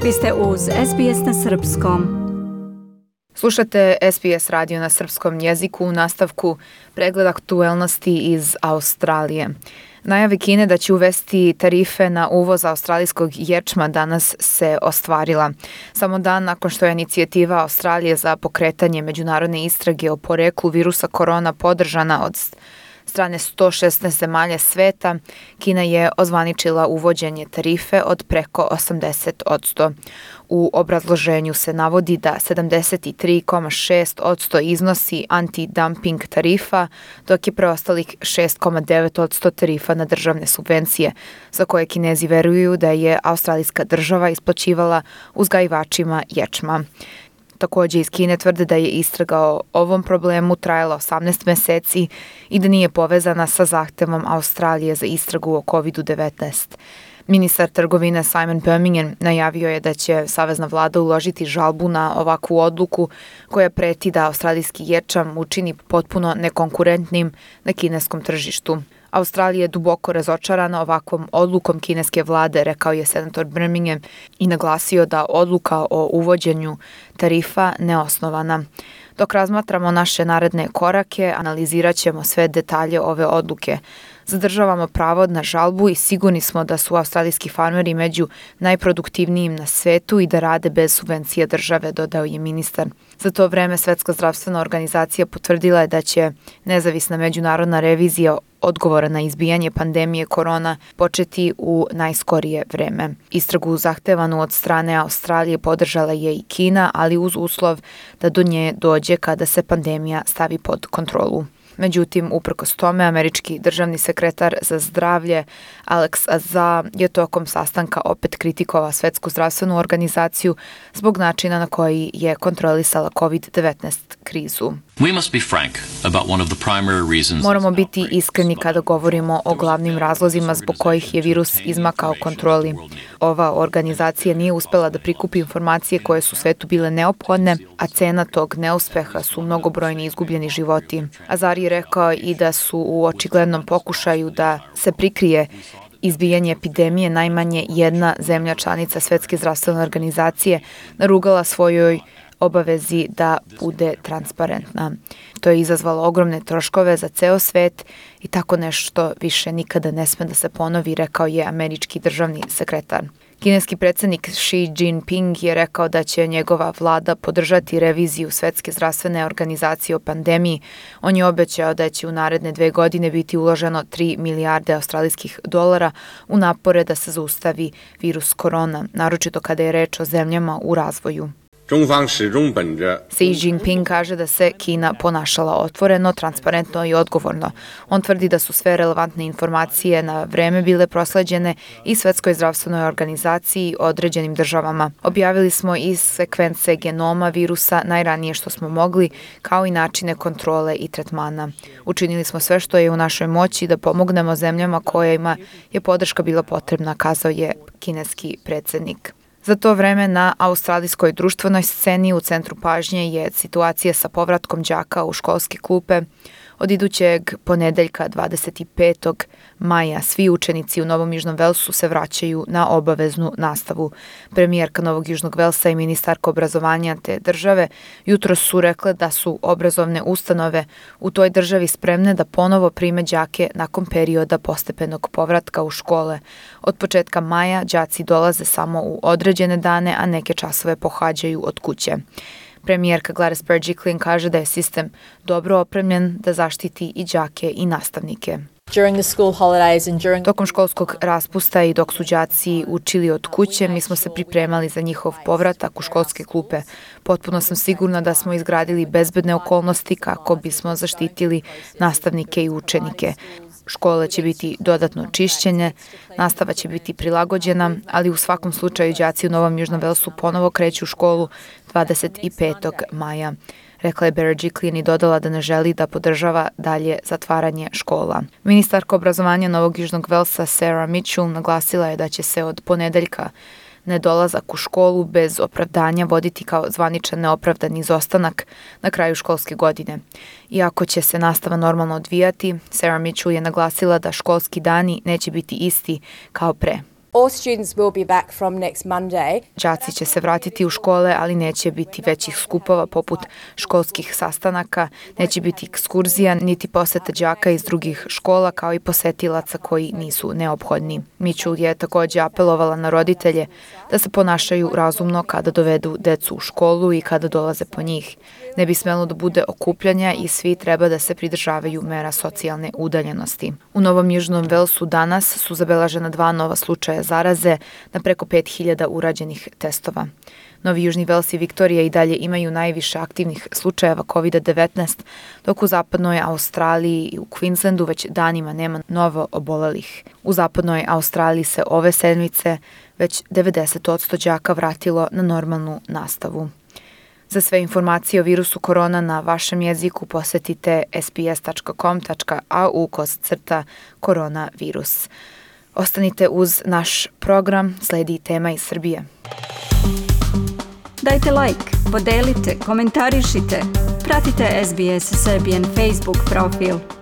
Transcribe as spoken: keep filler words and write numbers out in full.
Vi ste uz S B S na srpskom. Slušate S B S radio na srpskom jeziku u nastavku pregleda aktuelnosti iz Australije. Najave Kine da će uvesti tarife na uvoz australijskog ječma danas se ostvarila. Samo dan nakon što je inicijativa Australije za pokretanje međunarodne istrage o poreklu virusa korona podržana od strane sto šesnaest zemalja sveta, Kina je ozvaničila uvođenje tarife od preko osamdeset posto. U obrazloženju se navodi da sedamdeset tri zarez šest posto iznosi anti-dumping tarifa, dok je preostalih šest zarez devet posto tarifa na državne subvencije, za koje Kinezi veruju da je australijska država isplaćivala uzgajivačima ječma. Također iz Kine tvrde da je istraga o ovom problemu trajala osamnaest meseci i da nije povezana sa zahtevom Australije za istragu o kovid devetnaest. Ministar trgovine Simon Birmingham najavio je da će savezna vlada uložiti žalbu na ovakvu odluku koja preti da australijski ječam učini potpuno nekonkurentnim na kineskom tržištu. Australija je duboko razočarana ovakvom odlukom kineske vlade, rekao je senator Birmingham i naglasio da odluka o uvođenju tarifa neosnovana. Dok razmatramo naše naredne korake, analizirat ćemo sve detalje ove odluke. Zadržavamo pravo na žalbu i sigurni smo da su australijski farmeri među najproduktivnijim na svetu i da rade bez subvencija države, dodao je ministar. Za to vreme Svetska zdravstvena organizacija potvrdila je da će nezavisna međunarodna revizija odgovora na izbijanje pandemije korona početi u najskorije vreme. Istragu zahtevanu od strane Australije podržala je i Kina, ali uz uslov da do nje dođe kada se pandemija stavi pod kontrolu. Međutim, uprkos tome, američki državni sekretar za zdravlje Alex Azar je tokom sastanka opet kritikovao Svetsku zdravstvenu organizaciju zbog načina na koji je kontrolisala kovid devetnaest krizu. Moramo biti iskreni kada govorimo o glavnim razlozima zbog kojih je virus izmakao kontroli. Ova organizacija nije uspela da prikupi informacije koje su svetu bile neophodne, a cena tog neuspeha su mnogobrojni izgubljeni životi. Azar je rekao i da su u očiglednom pokušaju da se prikrije izbijanje epidemije najmanje jedna zemlja članica Svetske zdravstvene organizacije narugala svojoj obavezi da bude transparentna. To je izazvalo ogromne troškove za ceo svet i tako nešto više nikada ne sme da se ponovi, rekao je američki državni sekretar. Kineski predsjednik Xi Jinping je rekao da će njegova vlada podržati reviziju Svetske zdravstvene organizacije o pandemiji. On je obećao da će u naredne dve godine biti uloženo tri milijarde australijskih dolara u napore da se zaustavi virus korona, naročito kada je reč o zemljama u razvoju. Xi Jinping kaže da se Kina ponašala otvoreno, transparentno i odgovorno. On tvrdi da su sve relevantne informacije na vreme bile prosleđene i Svetskoj zdravstvenoj organizaciji i određenim državama. Objavili smo i sekvence genoma virusa najranije što smo mogli, kao i načine kontrole i tretmana. Učinili smo sve što je u našoj moći da pomognemo zemljama kojima je podrška bila potrebna, kazao je kineski predsjednik. Za to vreme na australijskoj društvenoj sceni u centru pažnje je situacija sa povratkom đaka u školske klupe. Od idućeg ponedeljka dvadeset petog maja svi učenici u Novom Južnom Velsu se vraćaju na obaveznu nastavu. Premijerka Novog Južnog Velsa i ministarka obrazovanja te države jutros su rekle da su obrazovne ustanove u toj državi spremne da ponovo prime đake nakon perioda postepenog povratka u škole. Od početka maja đaci dolaze samo u određene dane, a neke časove pohađaju od kuće. Premijerka Gladys Berejiklian kaže da je sistem dobro opremljen da zaštiti i đake i nastavnike. Tokom školskog raspusta i dok su đaci učili od kuće, mi smo se pripremali za njihov povratak u školske klupe. Potpuno sam sigurna da smo izgradili bezbedne okolnosti kako bismo zaštitili nastavnike i učenike. Škole će biti dodatno čišćene, nastava će biti prilagođena, ali u svakom slučaju đaci u Novom Južnom Velsu ponovo kreću u školu dvadeset petog maja. Rekla je Berejiklian i dodala da ne želi da podržava dalje zatvaranje škola. Ministarka obrazovanja Novog Južnog Velsa Sarah Mitchell naglasila je da će se od ponedeljka nedolazak u školu bez opravdanja voditi kao zvaničan neopravdani izostanak na kraju školske godine. Iako će se nastava normalno odvijati, Sarah Mitchell je naglasila da školski dani neće biti isti kao pre. All students will be back from next Monday. Đaci će se vratiti u škole, ali neće biti većih skupova poput školskih sastanaka, neće biti ekskurzija, niti poseta đaka iz drugih škola, kao i posetilaca koji nisu neophodni. Mitchell je također apelovala na roditelje da se ponašaju razumno kada dovedu decu u školu i kada dolaze po njih. Ne bi smelo da bude okupljanja i svi treba da se pridržavaju mera socijalne udaljenosti. U Novom Južnom Velsu danas su zabeležena dva nova slučaja zaraze na preko pet hiljada urađenih testova. Novi Južni Vels i Viktorija i dalje imaju najviše aktivnih slučajeva kovid devetnaest, dok u zapadnoj Australiji i u Queenslandu već danima nema novo obolelih. U zapadnoj Australiji se ove sedmice već devedeset posto đaka vratilo na normalnu nastavu. Za sve informacije o virusu korona na vašem jeziku posetite s b s tačka com tačka a u kosacrta koronavirus. Ostanite uz naš program, sledi tema iz Srbije. Dajte like, podelite, komentarišite. Pratite S B S Serbian Facebook profil.